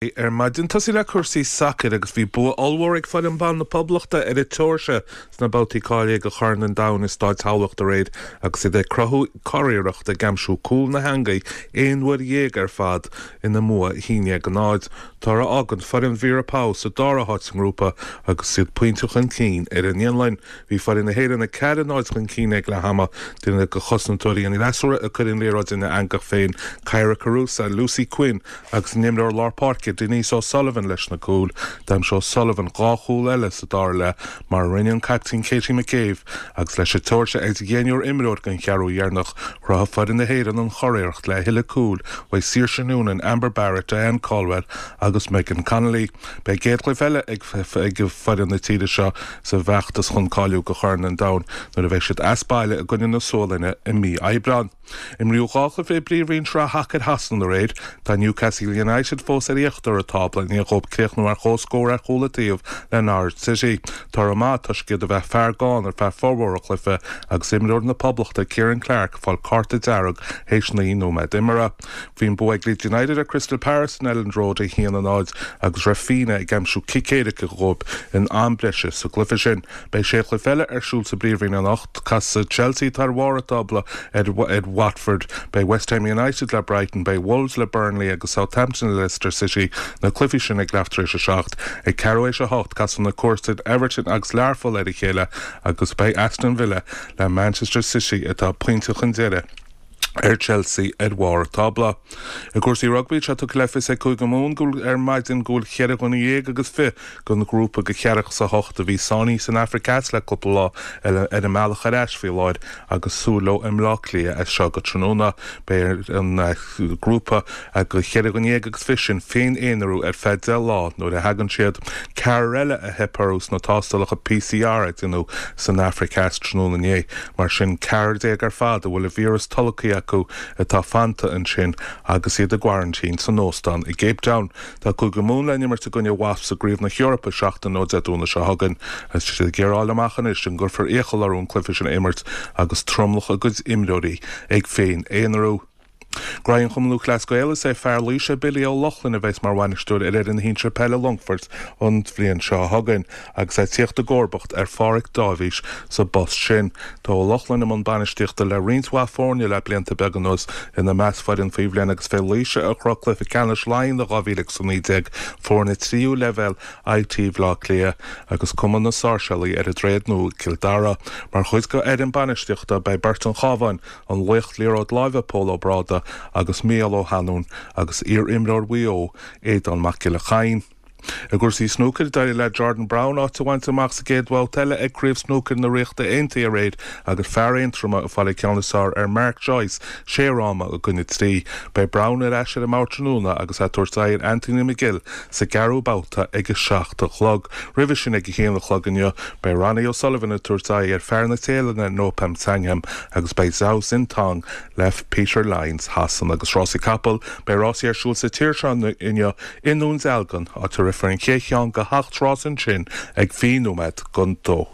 Ar maidin tosaí le cúrsaí sacair agus bhí bua ollmhór ag foireann ban na Poblachta ar an tSeoirsia sna babhtaí cáilithe do Chorn an Domhain i Stáid Thamhlachta aréir agus iad ag cruthú curiarracht ag aimsiú cúl na heangaí aon uair dhéag ar fad ina mbua 1-0. Toradh a fhágann foireann Vera Pauw sa dara háit sa ngrúpa agus iad pointe chun cinn ar an bhFionlainn. Bhí foireann na hÉireann 4-0 chun cinn ag leath ama. Duine de chosantóirí an fhreasúra ag cur an liathróid ina eangach féin, Kyra Carusa, Lucy Quinn agus an imreoir lár páirce Denise O'Sullivan leis na cúil. D'aimsigh O'Sullivan dhá chúl eile sa dara leath mar a rinne an caiptín Katie McCabe agus leis an tSeoirsia ar dheichniúr imreoir den cheathrú dheireanach, chruthaigh foireann na hÉireann an churiarracht le a thuilleadh cúil uaidh Saoirse Noonan, Amber Barrett, Diane Caldwell agus Megan Connolly. Beidh a gcéad chluiche eile ag foireann na tíre seo sa bhfeachtas chun cáiliú do Chorn an Domhain nuair a bheidh siad as baile i gcoinne na Sualainne i mí Aibreáin. Imríodh 2 chluiche i bPríomhroinn Shraith Shacair Shasana aréir. Tá Newcastle United fós ar íochtar an tábla i ndiaidh dóibh críochnú ar comhscór ar chúl an taobh le Norwich City. Toradh maith toisc iad a bheith fear gann ar feadh formhór an chluiche agus imreoir na Poblachta Ciaran Clark ag fáil cárta dearg théis 9 nóiméad imeartha. Bhí an bua ag Leeds United ar Crystal Palace in Elland Road, 1-0, agus Raphinha ag aimsiú cic éirice dhóibh in am breise sa gcluiche sin. Beidh sé chluiche eile ar siúl sa bPríomhroinn anocht. Casfaidh Chelsea, atá ar bharr an tábla, ar Watford, beidh West Ham United le Brighton, beidh Wolves le Burnley agus Southampton le Leicester City, na cluichí sin ag leath tar éis a 7. Ag ceathrú éis a 8, casfaidh na comharsain Everton agus Learpholl ar a chéile agus beidh Aston Villa le Manchester City atá pointe chun deiridh. ar Chelsea ar bharr an tábla. I gcúrsaí rugbaí, tá tugtha le fios ag Cúige Mumhan go bhfuil ar maidin go bhfuil cheithre dhuine dhéag agus fiche den ghrúpa de cheathracha is a hocht a bhí sáinnithe san Afraic Theas le cúpla lá ar a mbealach ar ais faoi láthair agus súil leo i mBleá Cliath as seo go tráthnóna. Beidh ar an grúpa de cheithre dhuine dhéag agus fiche sin féin-aonarú ar feadh 10 lá nuair a thagann siad. Ceathrar eile a theip orthu sna tástálacha PCR a déanadh san Afraic Theas tráthnóna inné. Mar sin, 14 ar fad a bhfuil an víreas tolgtha acu atá fanta ansin agus iad i gcoraintín san óstán i gCape Town. Tá Cúige Mumhan le n-imirt i gcoinne Wasps i gCraobh na hEorpa seachtain ó Dé Domhnaigh seo chugainn. Tá siad ag iarraidh a fháil amach anois an gcuirfear iachall orthu an cluiche sin a imirt agus tromlach a gcuid imreoirí ag féin-aonarú. Graí an Chumann Lúthchleas Gael is é fear Laoise Billy Ó Lochlainn a bheas mar bhainisteoir ar fhoireann shinsir peile Longfoirt an bhliain seo chugainn agus é ag tíocht i gcomharbacht ar Pháraic Dáibhís sa bpost sin. Tá Ó Lochlainn i mbun bainistíochta le roinnt mhaith foirne le blianta beaga anuas, ina measc foireann faoi bhliain agus fé Laoise a shroich cluiche ceannais Laighean i 2019, foirne tríú leibhéal IT Bhaile Átha Cliath agus Cumann na Sáirséalaí ar an Droichead Nua i gCill Dara. Mar chuid de fhoireann bainistíochta beidh beirt an Chabháin, An laoch liathróid láimhe Pól Ó Bráda agus Mícheál Ó hAnluain agus iar-imreoir Mhaigh Eo, Aodán Mac Giolla Chadhain. I gcúrsaí snúcair, d'éirigh le Jordan Brown áit a bhaint amach sa gcéad bhabhta eile ag Craobh Snúcair na Ríochta Aontaithe aréir agus fear Aontroma ag fáil an ceann is fearr ar Mark Joyce, sé fhráma i gcoinne trí. Beidh Brown ar ais ar an mbord tráthnóna agus é ag tabhairt aghaidh ar Anthony McGill sa gceathrú babhta ag a 7 a chlog. Roimhe sin ag a haon a chlog inniu, beidh Ronnie O'Sullivan ag tabhairt aghaidh ar fear na Téalainne Noppon Saengkham agus beidh Zhao Xintong le Peter Lines Shasana agus rásaí capall. Beidh rásaí ar siúl sa tír seo inniu i nDún Dealgan, áit a rithfear an chéad cheann de sheacht rás ansin ag 20 nóiméad don dó.